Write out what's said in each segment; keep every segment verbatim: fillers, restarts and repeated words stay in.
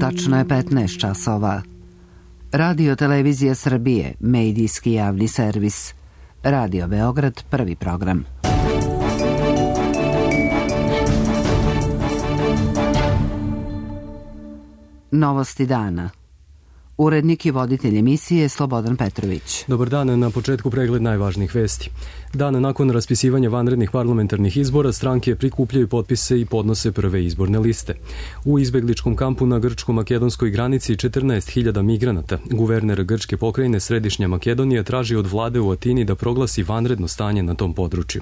Tačno je petnaest časova. Radio Televizija Srbije, medijski javni servis. Radio Beograd, prvi program. Novosti dana. Urednik i voditelj emisije Slobodan Petrović. Dobar dan, na početku pregled najvažnijih vesti. Dan nakon raspisivanja vanrednih parlamentarnih izbora stranke prikupljaju potpise i podnose prve izborne liste. U izbegličkom kampu na grčko-makedonskoj granici četrnaest hiljada migranata. Guverner grčke pokrajine Središnja Makedonija traži od vlade u Atini da proglasi vanredno stanje na tom području.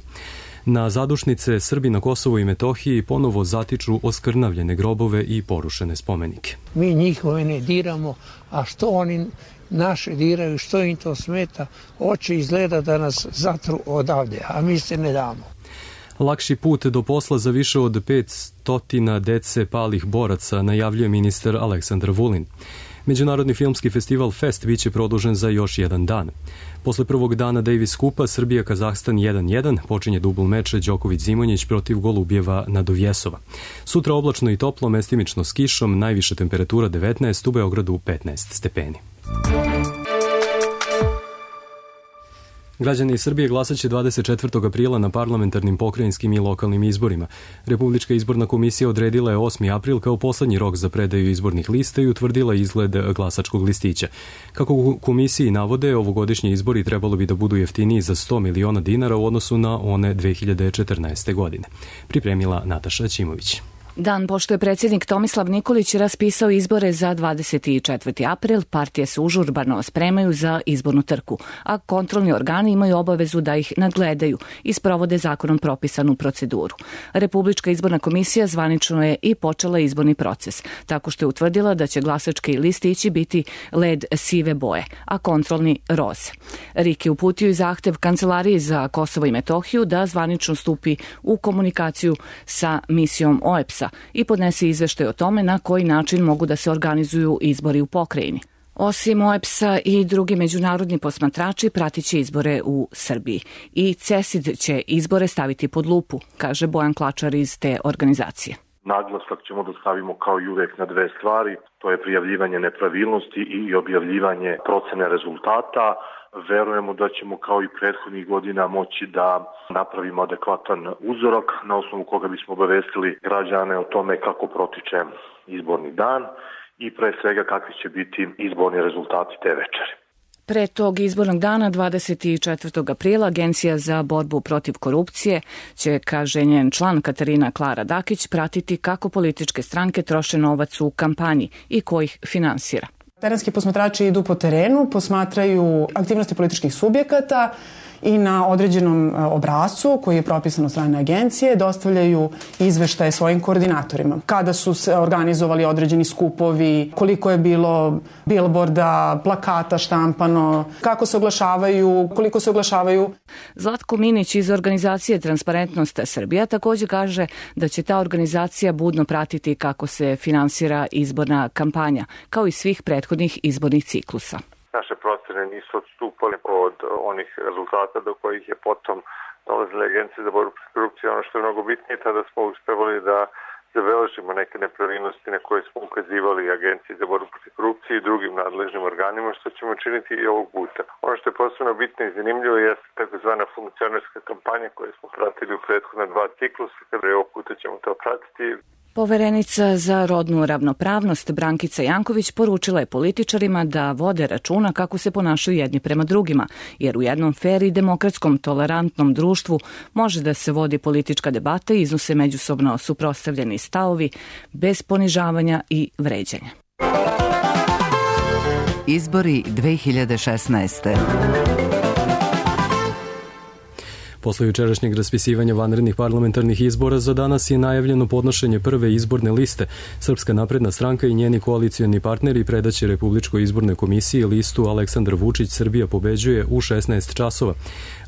Na zadušnice Srbi na Kosovu i Metohiji ponovo zatiču oskrnavljene grobove i porušene spomenike. Mi njihove ne diramo, a što oni naše diraju, što im to smeta, hoće izgleda da nas zatru odavde, a mi se ne damo. Lakši put do posla za više od petsto dece palih boraca, najavljuje ministar Aleksandar Vulin. Međunarodni filmski festival Fest biće produžen za još jedan dan. Posle prvog dana Davis Kupa Srbija-Kazahstan jedan jedan počinje dubl meč Đoković-Zimonjić protiv Golubjeva Nadovjesova. Sutra oblačno i toplo, mestimično s kišom, najviša temperatura devetnaest, u Beogradu petnaest stepeni. Građani Srbije glasaće dvadeset četvrtog aprila na parlamentarnim, pokrajinskim i lokalnim izborima. Republička izborna komisija odredila je osmi april kao poslednji rok za predaju izbornih lista i utvrdila izgled glasačkog listića. Kako u komisiji navode, ovogodišnji izbori trebalo bi da budu jeftiniji za sto miliona dinara u odnosu na one dve hiljade četrnaeste. godine. Pripremila Nataša Ćimović. Dan pošto je predsjednik Tomislav Nikolić raspisao izbore za dvadeset četvrti april, partije se užurbano spremaju za izbornu trku, a kontrolni organi imaju obavezu da ih nadgledaju i sprovode zakonom propisanu proceduru. Republička izborna komisija zvanično je i počela izborni proces, tako što je utvrdila da će glasački listići biti led sive boje, a kontrolni roze. RIK je uputio i zahtev Kancelariji za Kosovo i Metohiju da zvanično stupi u komunikaciju sa misijom O E P S i podnese izveštaj o tome na koji način mogu da se organizuju izbori u pokrajini. Osim O E P S-a i drugi međunarodni posmatrači pratiće izbore u Srbiji. I CESID će izbore staviti pod lupu, kaže Bojan Klačar iz te organizacije. Naglasak ćemo da stavimo kao i uvek na dve stvari, to je prijavljivanje nepravilnosti i objavljivanje procene rezultata. Verujemo da ćemo kao i prethodnih godina moći da napravimo adekvatan uzorak na osnovu koga bismo obavestili građane o tome kako protiče izborni dan i pre svega kakvi će biti izborni rezultati te večeri. Pre tog izbornog dana, dvadeset četvrtog aprila, Agencija za borbu protiv korupcije će, kaže njen član Katarina Klara Dakić, pratiti kako političke stranke troše novac u kampanji i ko ih finansira. Terenski posmatrači idu po terenu, posmatraju aktivnosti političkih subjekata i na određenom obrascu koji je propisan od strane agencije dostavljaju izveštaje svojim koordinatorima. Kada su se organizovali određeni skupovi, koliko je bilo bilborda, plakata štampano, kako se oglašavaju, koliko se oglašavaju. Zlatko Minić iz organizacije Transparentnost Srbija također kaže da će ta organizacija budno pratiti kako se finansira izborna kampanja, kao i svih prethodnih izbornih ciklusa. Naše procene nisu odstupale od onih rezultata do kojih je potom dolazila Agencija za borbu protiv korupcije. Ono što je mnogo bitnije, tada smo uspevali da zabeležimo neke nepravilnosti na koje smo ukazivali Agenciji za borbu protiv korupcije i drugim nadležnim organima, što ćemo činiti i ovog puta. Ono što je posebno bitno i zanimljivo jeste takozvana funkcionerska kampanja koju smo pratili u prethodna dva ciklusa, kada je ovog puta ćemo to pratiti. Poverenica za rodnu ravnopravnost Brankica Janković poručila je političarima da vode računa kako se ponašaju jedni prema drugima, jer u jednom fer i demokratskom tolerantnom društvu može da se vodi politička debata i iznose međusobno suprotstavljeni stavovi bez ponižavanja i vređanja. Izbori dve hiljade šesnaeste. Posle jučerašnjeg raspisivanja vanrednih parlamentarnih izbora za danas je najavljeno podnošenje prve izborne liste. Srpska napredna stranka i njeni koalicioni partneri predaće Republičkoj izbornoj komisiji listu Aleksandar Vučić Srbija pobeđuje u šesnaest časova.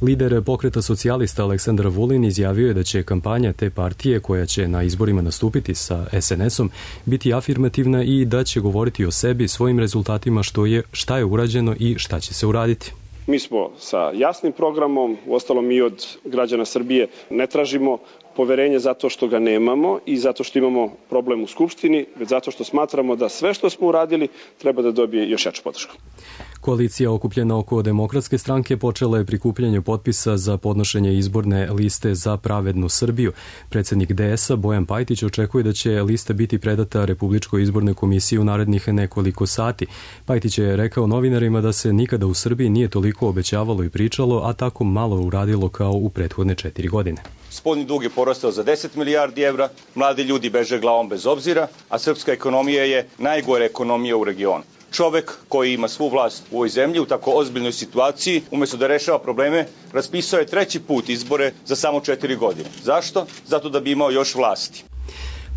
Lider pokreta socijalista Aleksandar Vulin izjavio je da će kampanja te partije koja će na izborima nastupiti sa es en esom biti afirmativna i da će govoriti o sebi, svojim rezultatima, što je, šta je urađeno i šta će se uraditi. Mi smo sa jasnim programom, uostalom mi od građana Srbije ne tražimo poverenje zato što ga nemamo i zato što imamo problem u Skupštini, već zato što smatramo da sve što smo uradili treba da dobije još jaču podršku. Koalicija okupljena oko Demokratske stranke počela je prikupljanje potpisa za podnošenje izborne liste za pravednu Srbiju. Predsednik D S a Bojan Pajtić očekuje da će lista biti predata Republičkoj izbornoj komisiji u narednih nekoliko sati. Pajtić je rekao novinarima da se nikada u Srbiji nije toliko obećavalo i pričalo, a tako malo uradilo kao u prethodne četiri godine. Spoljni dug je porastao za deset milijardi evra, mladi ljudi beže glavom bez obzira, a srpska ekonomija je najgore ekonomija u regionu. Čovek koji ima svu vlast u ovoj zemlji u tako ozbiljnoj situaciji, umesto da rešava probleme, raspisao je treći put izbore za samo četiri godine. Zašto? Zato da bi imao još vlasti.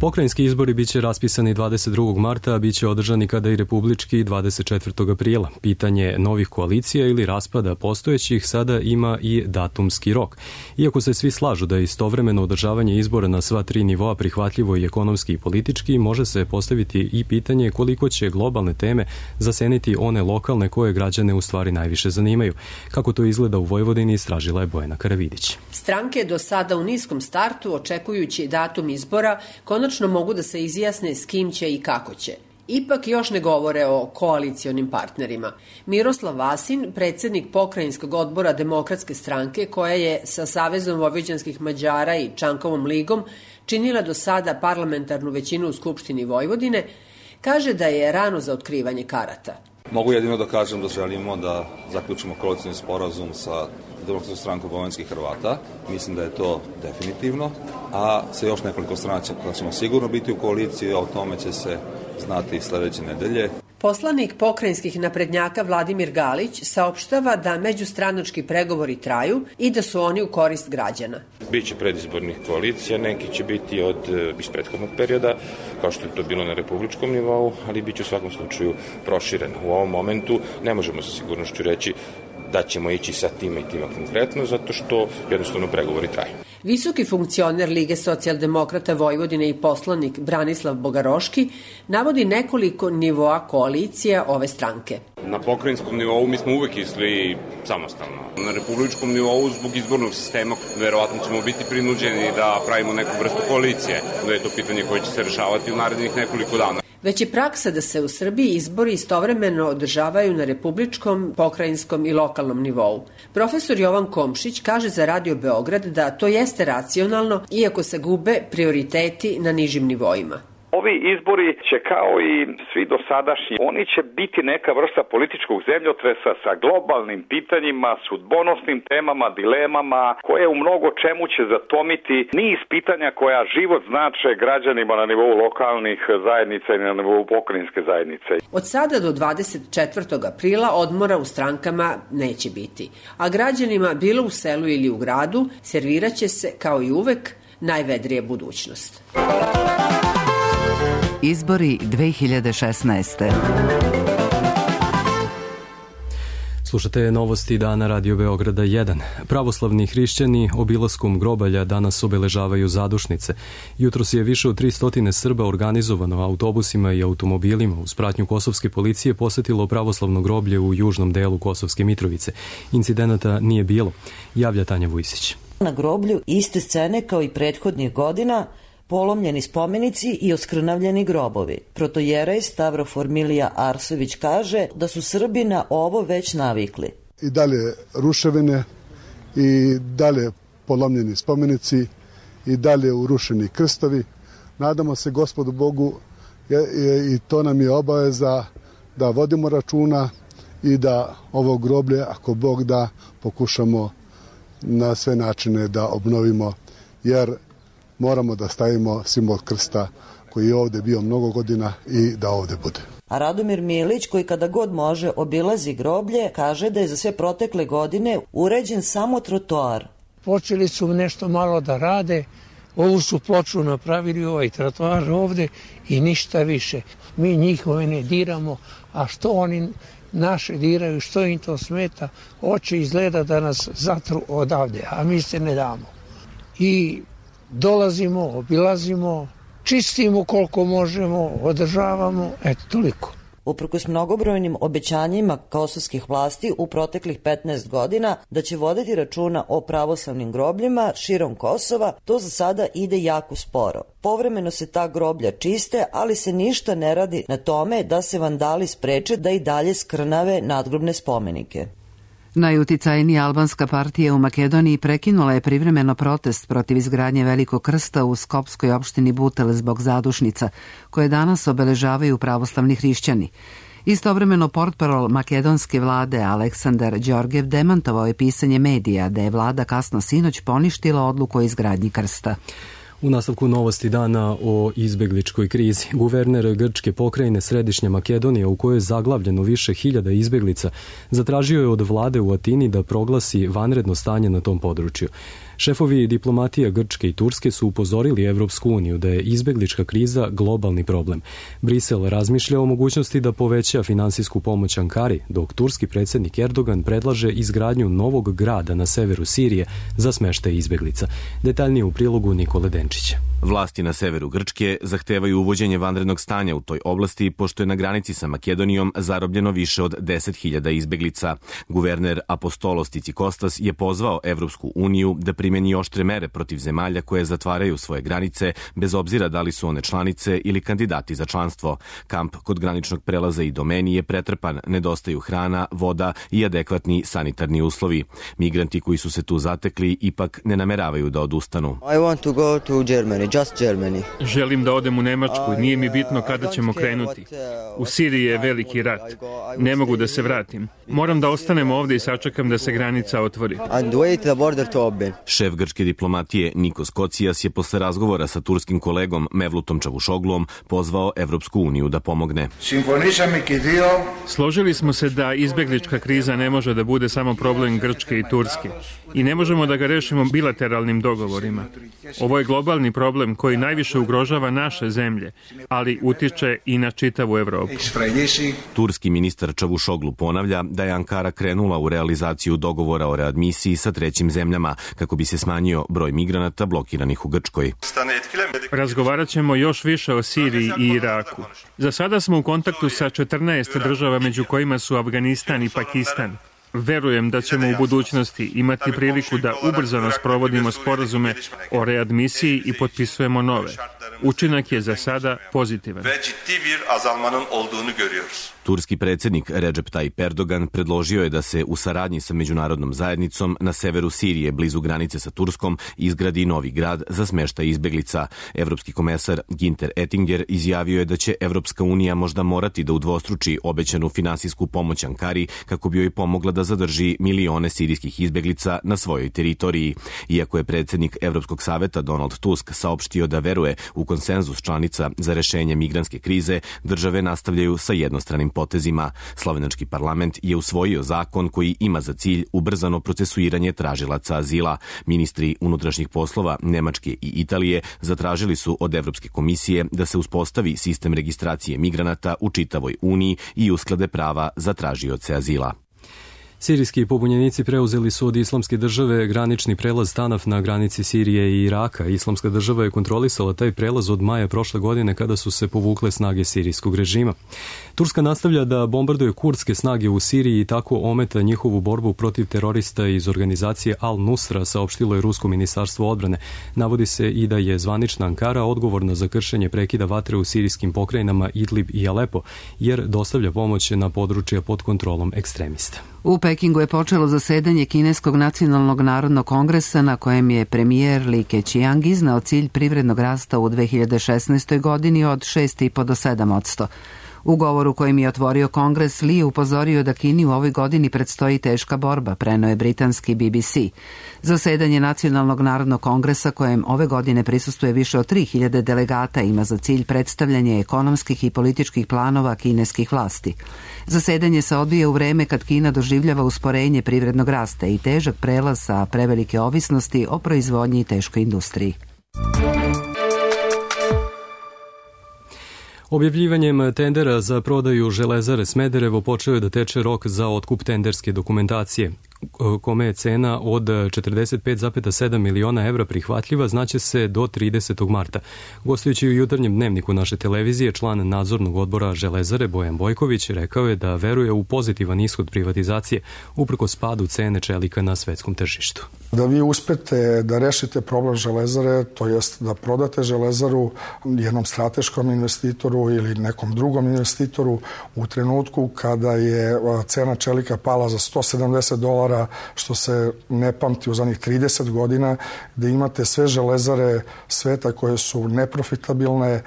Pokrajinski izbori biće raspisani dvadeset drugog marta, a biće održani kada i republički dvadeset četvrtog aprila. Pitanje novih koalicija ili raspada postojećih sada ima i datumski rok. Iako se svi slažu da je istovremeno održavanje izbora na sva tri nivoa prihvatljivo i ekonomski i politički, može se postaviti i pitanje koliko će globalne teme zaseniti one lokalne koje građane u stvari najviše zanimaju. Kako to izgleda u Vojvodini, istražila je Bojana Karavidić. Stranke do sada u niskom startu, očekujući datum izbora, konačno mogu da se izjasne s kim će i kako će. Ipak još ne govore o koalicionim partnerima. Miroslav Vasin, predsednik pokrajinskog odbora Demokratske stranke, koja je sa Savezom vojvođanskih Mađara i Čankovom ligom činila do sada parlamentarnu većinu u Skupštini Vojvodine, kaže da je rano za otkrivanje karata. Mogu jedino da kažem da želimo da zaključimo koalicioni sporazum sa Demokratskom strankom vojvođanskih Hrvata. Mislim da je to definitivno, a sa još nekoliko strana ćemo sigurno biti u koaliciji, a o tome će se znati sledeće nedelje. Poslanik pokrajinskih naprednjaka Vladimir Galić saopštava da međustranački pregovori traju i da su oni u korist građana. Biće predizbornih koalicija, neki će biti od iz prethodnog perioda, kao što je to bilo na republičkom nivou, ali biće u svakom slučaju prošireno. U ovom momentu ne možemo sa sigurnošću reći da ćemo ići sa tima i tima konkretno, zato što jednostavno pregovori traju. Visoki funkcioner Lige socijaldemokrata Vojvodine i poslanik Branislav Bogaroški navodi nekoliko nivoa koalicija ove stranke. Na pokrajinskom nivou mi smo uvek išli samostalno. Na republičkom nivou zbog izbornog sistema verovatno ćemo biti prinuđeni da pravimo neku vrstu koalicije, da je to pitanje koje će se rešavati u narednih nekoliko dana. Već je praksa da se u Srbiji izbori istovremeno održavaju na republičkom, pokrajinskom i lokalnom nivou. Profesor Jovan Komšić kaže za Radio Beograd da to jeste racionalno, iako se gube prioriteti na nižim nivoima. Ovi izbori će kao i svi dosadašnji, oni će biti neka vrsta političkog zemljotresa sa globalnim pitanjima, sudbonosnim temama, dilemama, koje u mnogo čemu će zatomiti niz pitanja koja život znače građanima na nivou lokalnih zajednica i na nivou pokrajinske zajednice. Od sada do dvadeset četvrtog aprila odmora u strankama neće biti, a građanima bilo u selu ili u gradu serviraće se kao i uvek najvedrija budućnost. Izbori dve hiljade šesnaeste. Slušate novosti dana Radio Beograda jedan. Pravoslavni hrišćani obilaskom grobalja danas obeležavaju zadušnice. Jutros je više od tristo Srba organizovano autobusima i automobilima uz pratnju kosovske policije posetilo pravoslavno groblje u južnom delu Kosovske Mitrovice. Incidenata nije bilo, javlja Tanja Vujsić. Na groblju iste scene kao i prethodnih godina, polomljeni spomenici i oskrnavljeni grobovi. Protojerej Stavrofor Milija Arsović kaže da su Srbi na ovo već navikli. I dalje ruševine, i dalje polomljeni spomenici, i dalje urušeni krstovi. Nadamo se Gospodu Bogu i to nam je obaveza da vodimo računa i da ovo groblje, ako Bog da, pokušamo na sve načine da obnovimo, jer moramo da stavimo simbol krsta koji je ovde bio mnogo godina i da ovde bude. A Radomir Milić, koji kada god može obilazi groblje, kaže da je za sve protekle godine uređen samo trotoar. Počeli su nešto malo da rade, ovu su ploču napravili, ovaj trotoar ovde i ništa više. Mi njihove ne diramo, a što oni naše diraju, što im to smeta, hoće izgleda da nas zatru odavde, a mi se ne damo. I dolazimo, obilazimo, čistimo koliko možemo, održavamo, eto toliko. uprkos mnogobrojnim obećanjima kosovskih vlasti u proteklih petnaest godina da će voditi računa o pravoslavnim grobljima širom Kosova, to za sada ide jako sporo. Povremeno se ta groblja čiste, ali se ništa ne radi na tome da se vandali spreče da i dalje skrnave nadgrobne spomenike. Najuticajnija albanska partija u Makedoniji prekinula je privremeno protest protiv izgradnje Velikog krsta u skopskoj opštini Butel zbog zadušnica, koje danas obeležavaju pravoslavni hrišćani. Istovremeno portparol makedonske vlade Aleksandar Đorđev demantovao je pisanje medija da je vlada kasno sinoć poništila odluku o izgradnji krsta. U nastavku novosti dana o izbegličkoj krizi, guverner grčke pokrajine Središnja Makedonija, u kojoj je zaglavljeno više hiljada izbeglica, zatražio je od vlade u Atini da proglasi vanredno stanje na tom području. Šefovi diplomatija Grčke i Turske su upozorili Evropsku uniju da je izbeglička kriza globalni problem. Brisel razmišlja o mogućnosti da poveća finansijsku pomoć Ankari, dok turski predsjednik Erdogan predlaže izgradnju novog grada na severu Sirije za smeštaj izbeglica. Detaljnije u prilogu Nikole Denčića. Vlasti na severu Grčke zahtevaju uvođenje vanrednog stanja u toj oblasti, pošto je na granici sa Makedonijom zarobljeno više od deset hiljada izbeglica. Guverner Apostolos Tsikostas je pozvao Evropsku uniju da primeni oštre mere protiv zemalja koje zatvaraju svoje granice, bez obzira da li su one članice ili kandidati za članstvo. Kamp kod graničnog prelaza i Domeni je pretrpan, nedostaju hrana, voda i adekvatni sanitarni uslovi. Migranti koji su se tu zatekli ipak ne nameravaju da odustanu. I want to go to Germany. Just Germany. Želim da odem u Nemačku, nije mi bitno kada ćemo krenuti. U Siriji je veliki rat. Ne mogu da se vratim. Moram da ostanem ovde i sačekam da se granica otvori. And wait the border to open. Šef grčke diplomatije Nikos Kocijas je posle razgovora sa turskim kolegom Mevlutom Čavušoglom pozvao Evropsku uniju da pomogne. Složili smo se da izbeglička kriza ne može da bude samo problem Grčke i Turske i ne možemo da ga rešimo bilateralnim dogovorima. Ovo je globalni problem koji najviše ugrožava naše zemlje, ali utiče i na čitavu Evropu. Turski ministar Čavušoglu ponavlja da je Ankara krenula u realizaciju dogovora o readmisiji sa trećim zemljama kako bi se smanjio broj migranata blokiranih u Grčkoj. Razgovarat ćemo još više o Siriji i Iraku. Za sada smo u kontaktu sa četrnaest država, među kojima su Afganistan i Pakistan. Verujem da ćemo u budućnosti imati priliku da ubrzano sprovodimo sporazume o readmisiji i potpisujemo nove. Učinak je za sada pozitivan. Turski predsjednik Recep Tayyip Erdogan predložio je da se u saradnji sa međunarodnom zajednicom na severu Sirije, blizu granice sa Turskom, izgradi novi grad za smeštaj izbeglica. Evropski komesar Ginter Ettinger izjavio je da će Evropska unija možda morati da udvostruči obećanu finansijsku pomoć Ankari kako bi joj pomogla da zadrži milione sirijskih izbeglica na svojoj teritoriji. Iako je predsjednik Evropskog saveta Donald Tusk saopštio da veruje u konsenzus članica za rešenje migrantske krize, države nastavljaju sa jednostranim potezima. Slovenački parlament je usvojio zakon koji ima za cilj ubrzano procesuiranje tražilaca azila. Ministri unutrašnjih poslova Nemačke i Italije zatražili su od Evropske komisije da se uspostavi sistem registracije migranata u čitavoj Uniji i usklade prava za tražioce azila. Sirijski pobunjenici preuzeli su od Islamske države granični prelaz Tanaf na granici Sirije i Iraka. Islamska država je kontrolisala taj prelaz od maja prošle godine kada su se povukle snage sirijskog režima. Turska nastavlja da bombarduje kurdske snage u Siriji i tako ometa njihovu borbu protiv terorista iz organizacije Al-Nusra, saopštilo je Rusko ministarstvo odbrane. Navodi se i da je zvanična Ankara odgovorna za kršenje prekida vatre u sirijskim pokrajinama Idlib i Alepo, jer dostavlja pomoć na područja pod kontrolom ekstremista. U Pekingu je počelo zasedanje Kineskog nacionalnog narodnog kongresa na kojem je premijer Li Keqiang iznao cilj privrednog rasta u dve hiljade šesnaestoj godini od šest i po do sedam posto. U govoru kojim je otvorio kongres, Li je upozorio da Kini u ovoj godini predstoji teška borba, preneo je britanski B B C. Zasedanje Nacionalnog narodnog kongresa, kojem ove godine prisustuje više od tri hiljade delegata, ima za cilj predstavljanje ekonomskih i političkih planova kineskih vlasti. Zasedanje se odvija u vreme kad Kina doživljava usporenje privrednog rasta i težak prelaz sa prevelike ovisnosti o proizvodnji i teškoj industriji. Objavljivanjem tendera za prodaju Železare Smederevo počeo je da teče rok za otkup tenderske dokumentacije. kome je cena od četrdeset pet zarez sedam miliona evra prihvatljiva, znaće se do tridesetog marta. Gostujući u jutarnjem dnevniku naše televizije, član nadzornog odbora Železare Bojan Bojković rekao je da veruje u pozitivan ishod privatizacije uprkos padu cene čelika na svetskom tržištu. Da vi uspete da rešite problem Železare, to jest da prodate Železaru jednom strateškom investitoru ili nekom drugom investitoru u trenutku kada je cena čelika pala za sto sedamdeset dolara, što se ne pamti u zadnjih trideset godina, da imate sve železare sveta koje su neprofitabilne,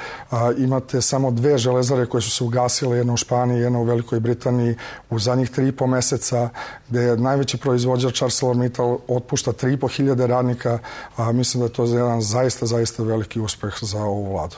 imate samo dve železare koje su se ugasile, jedna u Španiji, jedna u Velikoj Britaniji u zadnjih tri i po meseca, gde je najveći proizvođač ArcelorMittal otpušta tri i po hiljade radnika, a mislim da je to jedan zaista, zaista veliki uspeh za ovu vladu.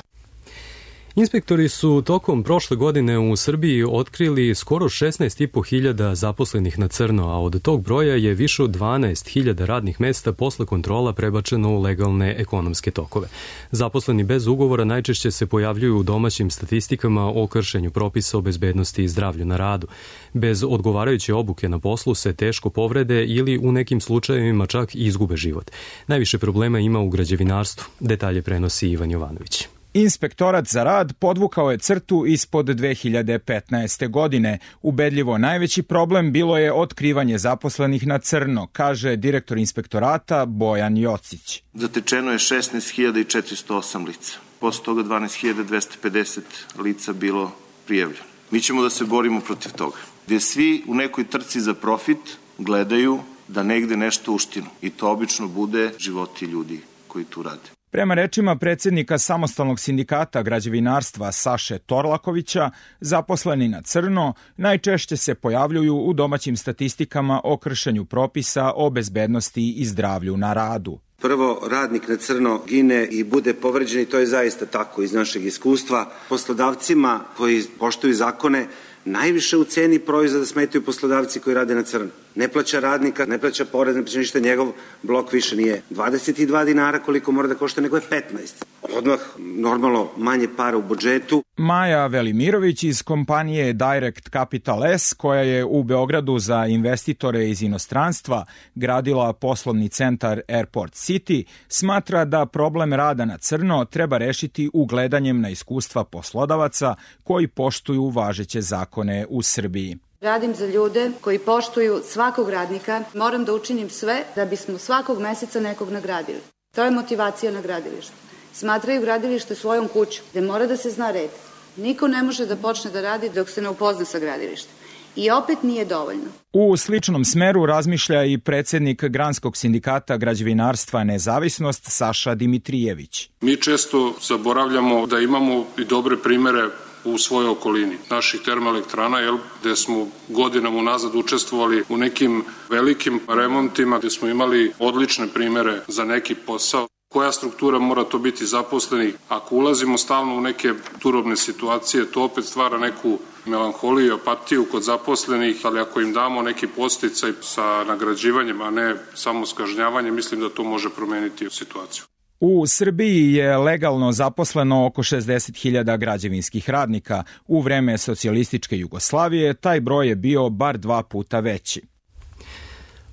Inspektori su tokom prošle godine u Srbiji otkrili skoro šesnaest i po hiljada zaposlenih na crno, a od tog broja je više od dvanaest hiljada radnih mesta posle kontrola prebačeno u legalne ekonomske tokove. Zaposleni bez ugovora najčešće se pojavljuju u domaćim statistikama o kršenju propisa o bezbednosti i zdravlju na radu. Bez odgovarajuće obuke na poslu se teško povrede ili u nekim slučajevima čak i izgube život. Najviše problema ima u građevinarstvu. Detalje prenosi Ivan Jovanović. Inspektorat za rad podvukao je crtu ispod dve hiljade petnaeste. godine. Ubedljivo najveći problem bilo je otkrivanje zaposlenih na crno, kaže direktor inspektorata Bojan Jocić. Zatečeno je šesnaest hiljada četiristo osam lica. Posle toga dvanaest hiljada dvesta pedeset lica bilo prijavljeno. Mi ćemo da se borimo protiv toga. Gde svi u nekoj trci za profit gledaju da negde nešto uštinu. I to obično bude životi ljudi koji tu rade. Prema rečima predsjednika Samostalnog sindikata građevinarstva Saše Torlakovića, zaposleni na crno najčešće se pojavljuju u domaćim statistikama o kršenju propisa o bezbednosti i zdravlju na radu. Prvo, radnik na crno gine i bude povređen i to je zaista tako iz našeg iskustva. Poslodavcima koji poštuju zakone najviše u ceni proizvoda smetaju poslodavci koji rade na crno. Ne plaća radnika, ne plaća porez, ne plaća ništa, njegov blok više nije dvadeset dva dinara koliko mora da košta, nego je petnaest. Odmah normalno manje para u budžetu. Maja Velimirović iz kompanije Direct Capital S, koja je u Beogradu za investitore iz inostranstva gradila poslovni centar Airport City, smatra da problem rada na crno treba rešiti ugledanjem na iskustva poslodavaca koji poštuju važeće zakone u Srbiji. Radim za ljude koji poštuju svakog radnika. Moram da učinim sve da bismo svakog meseca nekog nagradili. To je motivacija na gradilištu. Smatraju gradilište svojom kućom, gde mora da se zna red. Niko ne može da počne da radi dok se ne upozna sa gradilištem. I opet nije dovoljno. U sličnom smeru razmišlja i predsjednik Granskog sindikata građevinarstva Nezavisnost Saša Dimitrijević. Mi često zaboravljamo da imamo i dobre primere u svojoj okolini naših termoelektrana, jel, gde smo godinama unazad učestvovali u nekim velikim remontima, gde smo imali odlične primere za neki posao. Koja struktura mora to biti zaposlenih? Ako ulazimo stalno u neke turobne situacije, to opet stvara neku melanholiju i apatiju kod zaposlenih, ali ako im damo neki podsticaj sa nagrađivanjem, a ne samo s kažnjavanjem, mislim da to može promeniti situaciju. U Srbiji je legalno zaposleno oko šezdeset hiljada građevinskih radnika. U vreme socijalističke Jugoslavije taj broj je bio bar dva puta veći.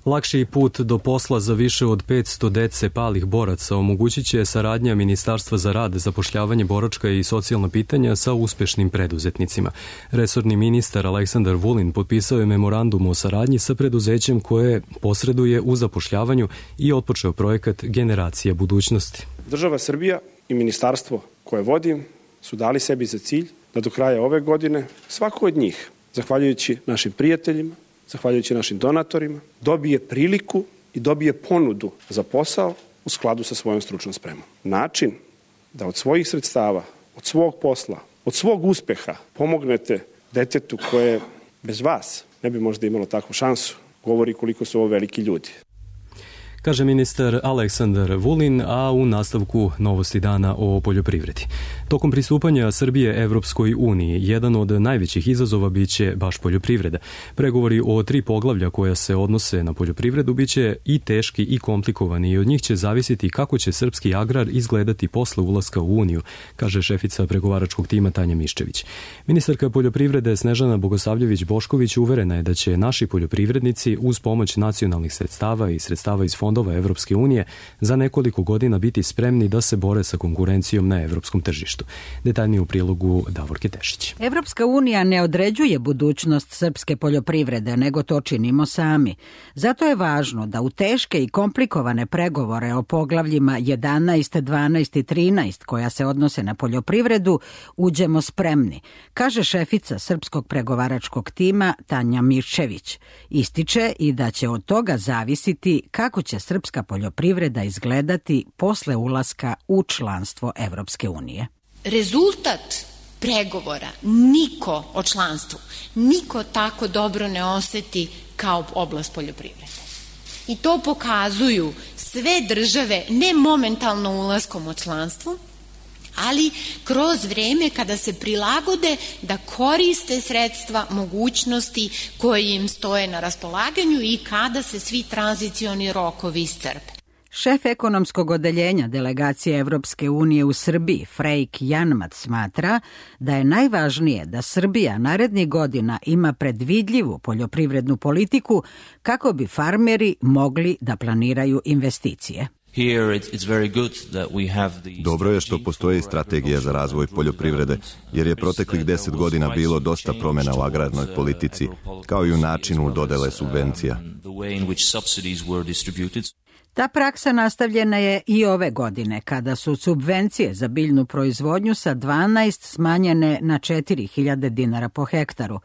Lakši put do posla za više od petsto dece palih boraca omogućit će saradnja Ministarstva za rad, zapošljavanje, boračka i socijalna pitanja sa uspešnim preduzetnicima. Resorni ministar Aleksandar Vulin potpisao je memorandum o saradnji sa preduzećem koje posreduje u zapošljavanju i otpočeo projekat Generacija budućnosti. Država Srbija i ministarstvo koje vodim su dali sebi za cilj da do kraja ove godine svako od njih, zahvaljujući našim prijateljima, zahvaljujući našim donatorima, dobije priliku i dobije ponudu za posao u skladu sa svojom stručnom spremom. Način da od svojih sredstava, od svog posla, od svog uspeha pomognete detetu koje bez vas ne bi možda imalo takvu šansu, govori koliko su ovo veliki ljudi. kaže ministar Aleksandar Vulin, a u nastavku novosti dana o poljoprivredi. Tokom pristupanja Srbije Evropskoj uniji, jedan od najvećih izazova biće baš poljoprivreda. Pregovori o tri poglavlja koja se odnose na poljoprivredu biće i teški i komplikovani i od njih će zavisiti kako će srpski agrar izgledati posle ulaska u Uniju, kaže šefica pregovaračkog tima Tanja Miščević. Ministarka poljoprivrede Snežana Bogosavljević-Bošković uverena je da će naši poljoprivrednici uz pomoć nacionalnih sredstava i sredstava iz fondova Evropske unije za nekoliko godina biti spremni da se bore sa konkurencijom na evropskom tržištu. Detaljnije u prilogu Davorke Tešić. Evropska unija ne određuje budućnost srpske poljoprivrede, nego to činimo sami. Zato je važno da u teške i komplikovane pregovore o poglavljima jedanaest, dvanaest i trinaest koja se odnose na poljoprivredu uđemo spremni, kaže šefica srpskog pregovaračkog tima Tanja Miščević. Ističe i da će od toga zavisiti kako će srpska poljoprivreda izgledati posle ulaska u članstvo Evropske unije. Rezultat pregovora niko o članstvu, niko tako dobro ne oseti kao oblast poljoprivrede. I to pokazuju sve države, ne momentalno ulaskom u članstvo, ali kroz vreme kada se prilagode da koriste sredstva, mogućnosti koje im stoje na raspolaganju i kada se svi tranzicioni rokovi iscrpe. Šef ekonomskog odeljenja delegacije Evropske unije u Srbiji, Frejk Janmat, smatra da je najvažnije da Srbija narednih godina ima predvidljivu poljoprivrednu politiku kako bi farmeri mogli da planiraju investicije. Dobro je što postoji strategija za razvoj poljoprivrede, jer je proteklih deset godina bilo dosta promjena u agrarnoj politici, kao i u načinu dodele subvencija. Ta praksa nastavljena je i ove godine, kada su subvencije za biljnu proizvodnju sa dvanaest smanjene na četiri hiljade dinara po hektaru.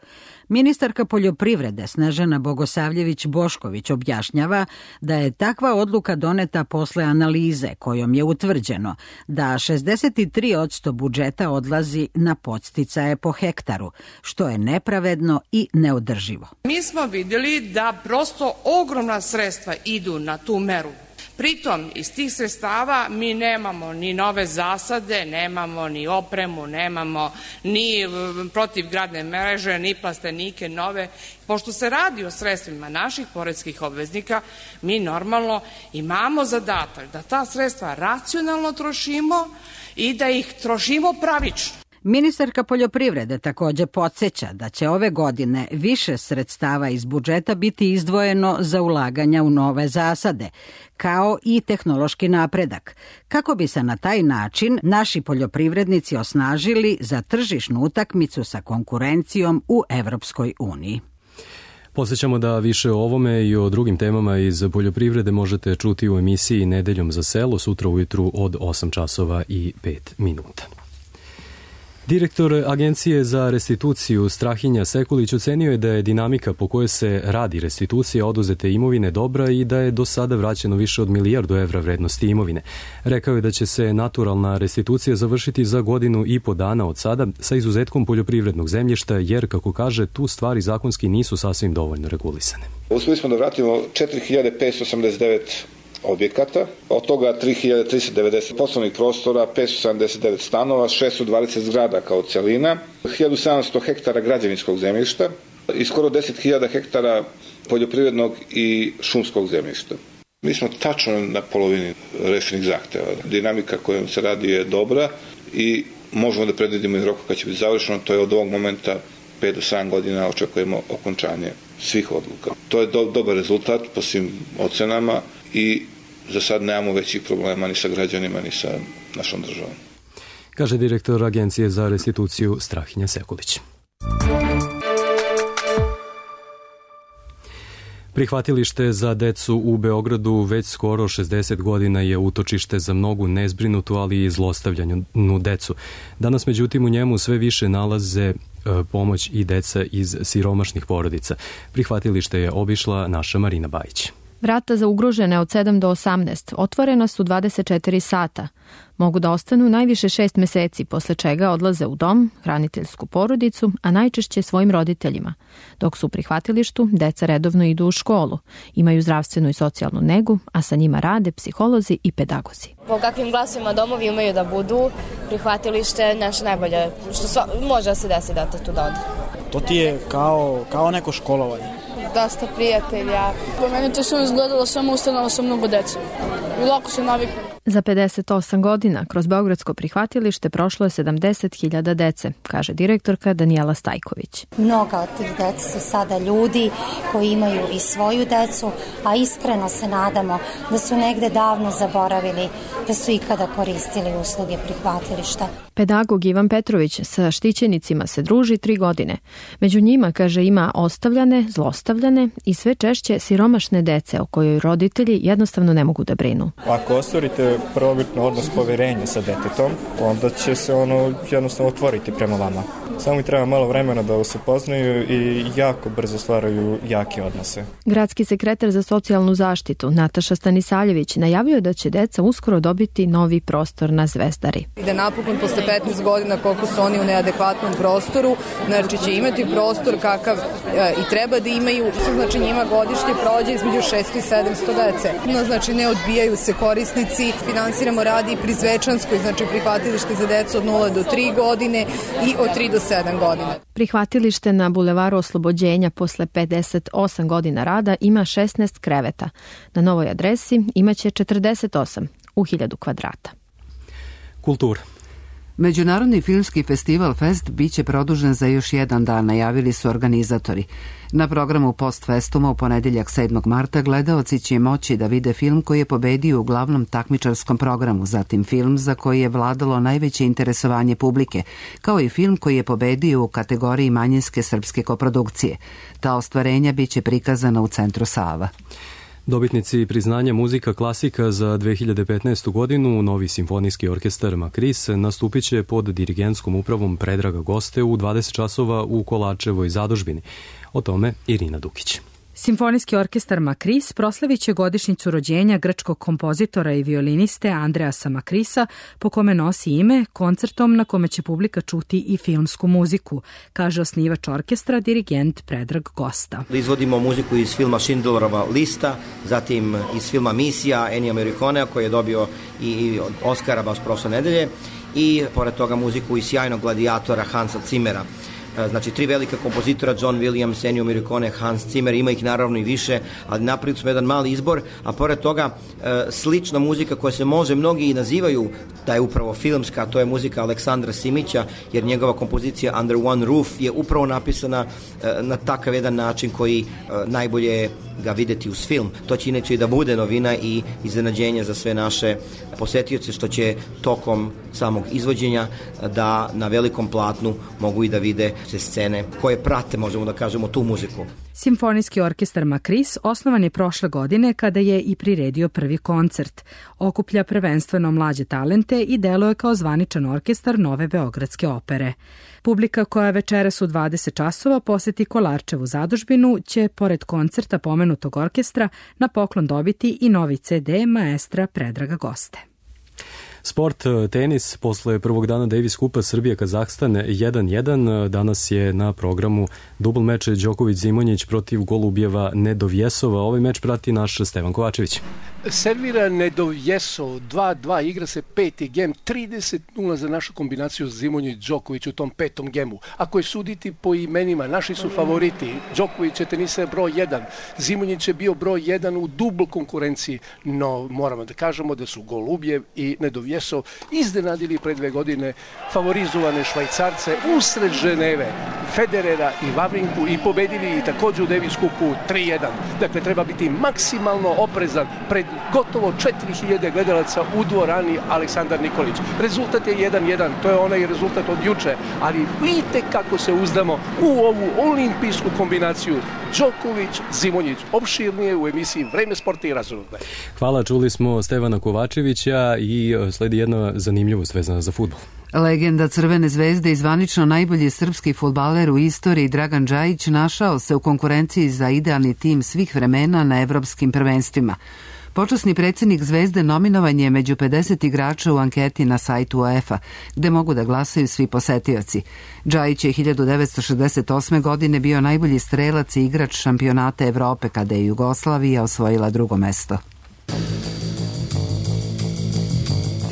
Ministarka poljoprivrede Snežana Bogosavljević-Bošković objašnjava da je takva odluka doneta posle analize kojom je utvrđeno da šezdeset tri posto budžeta odlazi na podsticaje po hektaru, što je nepravedno i neodrživo. Mi smo vidjeli da prosto ogromna sredstva idu na tu meru. Pritom, iz tih sredstava mi nemamo ni nove zasade, nemamo ni opremu, nemamo ni protivgradne mreže, ni plastenike nove. Pošto se radi o sredstvima naših poreskih obveznika, mi normalno imamo zadatak da ta sredstva racionalno trošimo i da ih trošimo pravično. Ministarka poljoprivrede također podsjeća da će ove godine više sredstava iz budžeta biti izdvojeno za ulaganja u nove zasade, kao i tehnološki napredak, kako bi se na taj način naši poljoprivrednici osnažili za tržišnu utakmicu sa konkurencijom u Evropskoj uniji. Posjećamo da više o ovome i o drugim temama iz poljoprivrede možete čuti u emisiji Nedeljom za selo sutra ujutru od osam časova i pet minuta. Direktor Agencije za restituciju Strahinja Sekulić ocenio je da je dinamika po kojoj se radi restitucija oduzete imovine dobra i da je do sada vraćeno više od milijardu evra vrednosti imovine. Rekao je da će se naturalna restitucija završiti za godinu i po dana od sada sa izuzetkom poljoprivrednog zemljišta jer, kako kaže, tu stvari zakonski nisu sasvim dovoljno regulisane. Uspeli smo da vratimo četiri hiljade petsto osamdeset devet objekata, od toga tri hiljade tristo devedeset poslovnih prostora, petsto sedamdeset devet stanova, šesto dvadeset zgrada kao celina, hiljadu sedamsto hektara građevinskog zemljišta i skoro deset hiljada hektara poljoprivrednog i šumskog zemljišta. Mi smo tačno na polovini rešenih zahteva. Dinamika kojom se radi je dobra i možemo da predvidimo i roku kad će biti završeno, to je od ovog momenta pet do sedam godina očekujemo okončanje svih odluka. To je do, dobar rezultat po svim ocenama i za sad nemamo većih problema ni sa građanima, ni sa našom državom. Kaže direktor Agencije za restituciju Strahinja Sekulić. Prihvatilište za decu u Beogradu već skoro šezdeset godina je utočište za mnogu nezbrinutu, ali i zlostavljanu decu. Danas, međutim, u njemu sve više nalaze pomoć i deca iz siromašnih porodica. Prihvatilište je obišla naša Marina Bajić. Vrata za ugrožene od sedam do osamnaest otvorena su dvadeset četiri sata. Mogu da ostanu najviše šest meseci, posle čega odlaze u dom, hraniteljsku porodicu, a najčešće svojim roditeljima. Dok su u prihvatilištu, deca redovno idu u školu, imaju zdravstvenu i socijalnu negu, a sa njima rade psiholozi i pedagozi. Po kakvim glasovima domovi imaju da budu, prihvatilište naše najbolje, što sva, može da se desi da te tu da ode. To ti je kao, kao neko školovanje. Dosta prijatelja. Po meni to sam izgledalo samo ustanova sa mnogo dece. I lako se naviknu. Za pedeset osam godina kroz beogradsko prihvatilište prošlo je sedamdeset hiljada dece, kaže direktorka Danijela Stajković. Mnoga od tih dece su sada ljudi koji imaju i svoju decu, a iskreno se nadamo da su negde davno zaboravili da su ikada koristili usluge prihvatilišta. Pedagog Ivan Petrović sa štićenicima se druži tri godine. Među njima, kaže, ima ostavljane, zlostavljane i sve češće siromašne dece o kojoj roditelji jednostavno ne mogu da brinu. Ako ostvarite prvobitno odnos poverenja sa detetom, onda će se ono jednostavno otvoriti prema vama. Samo mi treba malo vremena da se poznaju i jako brzo stvaraju jake odnose. Gradski sekretar za socijalnu zaštitu Nataša Stanisaljević najavio da će deca uskoro dobiti novi prostor na Zvezdari. I da napokon posle petnaest godina koliko su oni u neadekvatnom prostoru, znači će imati prostor kakav e, i treba da imaju. Znači njima godišnje prođe između šesto i sedamsto dece. No, znači ne odbijaju se korisnici. Finansiramo radi i pri Zvečanskoj, znači prihvatilište za decu od nula do tri godine i od tri do sedam godina. Prihvatilište na Bulevaru Oslobođenja posle pedeset osam godina rada ima šesnaest kreveta. Na novoj adresi imaće četrdeset osam u hiljadu kvadrata. Kultura. Međunarodni filmski festival Fest biće produžen za još jedan dan, najavili su organizatori. Na programu Postfestuma u ponedeljak sedmog marta gledaoci će moći da vide film koji je pobedio u glavnom takmičarskom programu, zatim film za koji je vladalo najveće interesovanje publike, kao i film koji je pobedio u kategoriji manjinske srpske koprodukcije. Ta ostvarenja biće prikazana u Centru Sava. Dobitnici priznanja muzika klasika za dve hiljade petnaestu godinu, Novi simfonijski orkestar Makris, nastupit će pod dirigentskom upravom Predraga Goste u dvadeset časova u Kolačevoj zadužbini. O tome Irina Dukić. Simfonijski orkestar Makris proslavit će godišnjicu rođenja grčkog kompozitora i violiniste Andreasa Makrisa, po kome nosi ime, koncertom na kome će publika čuti i filmsku muziku, kaže osnivač orkestra, dirigent Predrag Gosta. Izvodimo muziku iz filma Schindlerova lista, zatim iz filma Misija Ennija Morriconea koji je dobio i Oscara baš prošle nedelje, i pored toga muziku iz sjajnog gladijatora Hansa Zimmera. Znači, tri velika kompozitora, John Williams, Ennio Morricone, Hans Zimmer, ima ih naravno i više, ali napravili smo jedan mali izbor, a pored toga slična muzika koja se može mnogi i nazivaju da je upravo filmska, to je muzika Aleksandra Simića, jer njegova kompozicija Under One Roof je upravo napisana na takav jedan način koji najbolje ga videti uz film. To će inače i da bude novina i iznenađenje za sve naše posetioce, što će tokom samog izvođenja da na velikom platnu mogu i da vide se scene koje prate, možemo da kažemo, tu muziku. Simfonijski orkestar Makris osnovan je prošle godine kada je i priredio prvi koncert. Okuplja prvenstveno mlađe talente i deluje kao zvaničan orkestar Nove Beogradske opere. Publika koja večeras u dvadeset časova poseti Kolarčevu zadužbinu će, pored koncerta pomenutog orkestra, na poklon dobiti i novi ce de maestra Predraga Goste. Sport, tenis, posle prvog dana Davis Kupa Srbija-Kazahstan jedan jedan, danas je na programu dubl meč Đoković-Zimonjić protiv Golubjeva Nedovjesova. Ovaj meč prati naš Stevan Kovačević. Servira Nedovjesov, dva dva, igra se peti gem, trideset nula za našu kombinaciju Zimonjić-Đoković u tom petom gemu. Ako je suditi po imenima, naši su favoriti. Đoković je tenisa broj jedan, Zimonjić je bio broj jedan u dubl konkurenciji, no moramo da kažemo da su Golubjev i Nedovjesov iznenadili pre dve godine favorizovane Švajcarce usred Ženeve, Federera i Vavrinku, i pobedili i takođe u Davis Kupu tri jedan. Dakle, treba biti maksimalno oprezan pred gotovo četiri hiljade gledalaca u dvorani Aleksandar Nikolić. Rezultat je jedan jedan, to je onaj rezultat od juče, ali vidite kako se uzdamo u ovu olimpijsku kombinaciju Đoković-Zimonjić. Opširnije u emisiji Vreme sporta i razonode. Hvala, čuli smo Stevana Kovačevića i sledi jedna zanimljivost vezana za fudbal. Legenda Crvene zvezde i zvanično najbolji srpski fudbaler u istoriji Dragan Džajić našao se u konkurenciji za idealni tim svih vremena na evropskim prvenstvima. Počasni predsjednik Zvezde nominovan je među pedeset igrača u anketi na sajtu UEFA, gde mogu da glasaju svi posetioci. Džajić je hiljadu devetsto šezdeset osme. godine bio najbolji strelac i igrač šampionata Evrope kada je Jugoslavija osvojila drugo mesto.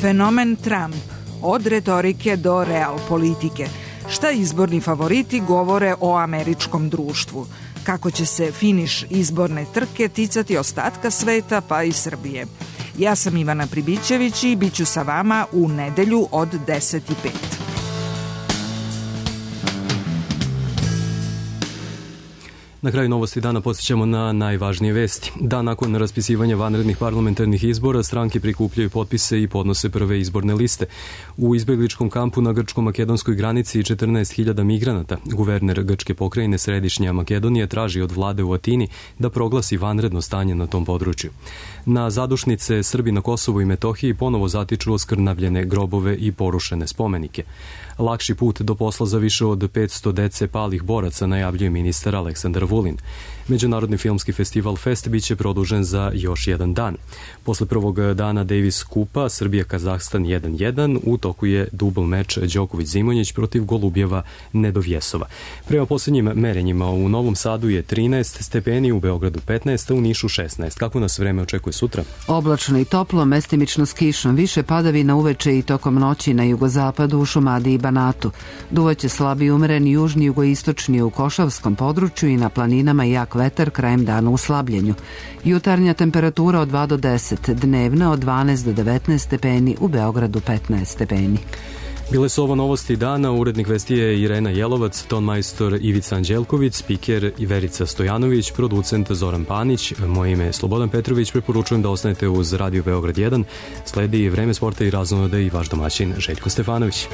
Fenomen Trump. Od retorike do real politike. Šta izborni favoriti govore o američkom društvu? Kako će se finiš izborne trke ticati ostatka sveta pa i Srbije? Ja sam Ivana Pribićević i bit ću sa vama u nedelju od deset i pet. Na kraju novosti dana podsjećamo na najvažnije vesti. Dan nakon raspisivanja vanrednih parlamentarnih izbora stranke prikupljaju potpise i podnose prve izborne liste. U izbegličkom kampu na grčko-makedonskoj granici četrnaest hiljada migranata. Guverner grčke pokrajine Središnja Makedonija traži od vlade u Atini da proglasi vanredno stanje na tom području. Na zadušnice Srbi na Kosovu i Metohiji ponovo zatiču oskrnavljene grobove i porušene spomenike. Lakši put do posla za više od petsto dece palih boraca, najavljuje ministar Aleksandar Vulin. Međunarodni filmski festival Fest biće produžen za još jedan dan. Posle prvog dana Davis Kupa Srbija-Kazahstan jedan jedan u toku je dubl meč Đoković-Zimonjić protiv Golubjeva Nedovjesova. Prema posljednjim merenjima u Novom Sadu je trinaest stepeni, u Beogradu petnaest, a u Nišu šesnaest. Kako nas vreme očekuje sutra? Oblačno i toplo, mestimično s kišom, više padavina uveče i tokom noći na jugozapadu, u Šumadiji i Banatu. Duvaće slabi umeren južni jugoistočni u Košavskom području i na planinama jak vetar, krajem dana u slabljenju. Jutarnja temperatura od dva do deset, dnevna od dvanaest do devetnaest stepeni, u Beogradu petnaest stepeni. Bile su ovo novosti dana, urednik vesti je Irena Jelovac, tonmajstor Ivica Anđelković, spiker Verica Stojanović, producent Zoran Panić, moje ime je Slobodan Petrović, preporučujem da ostanete uz Radio Beograd jedan, sledi Vreme sporta i raznonode i vaš domaćin Željko Stefanović.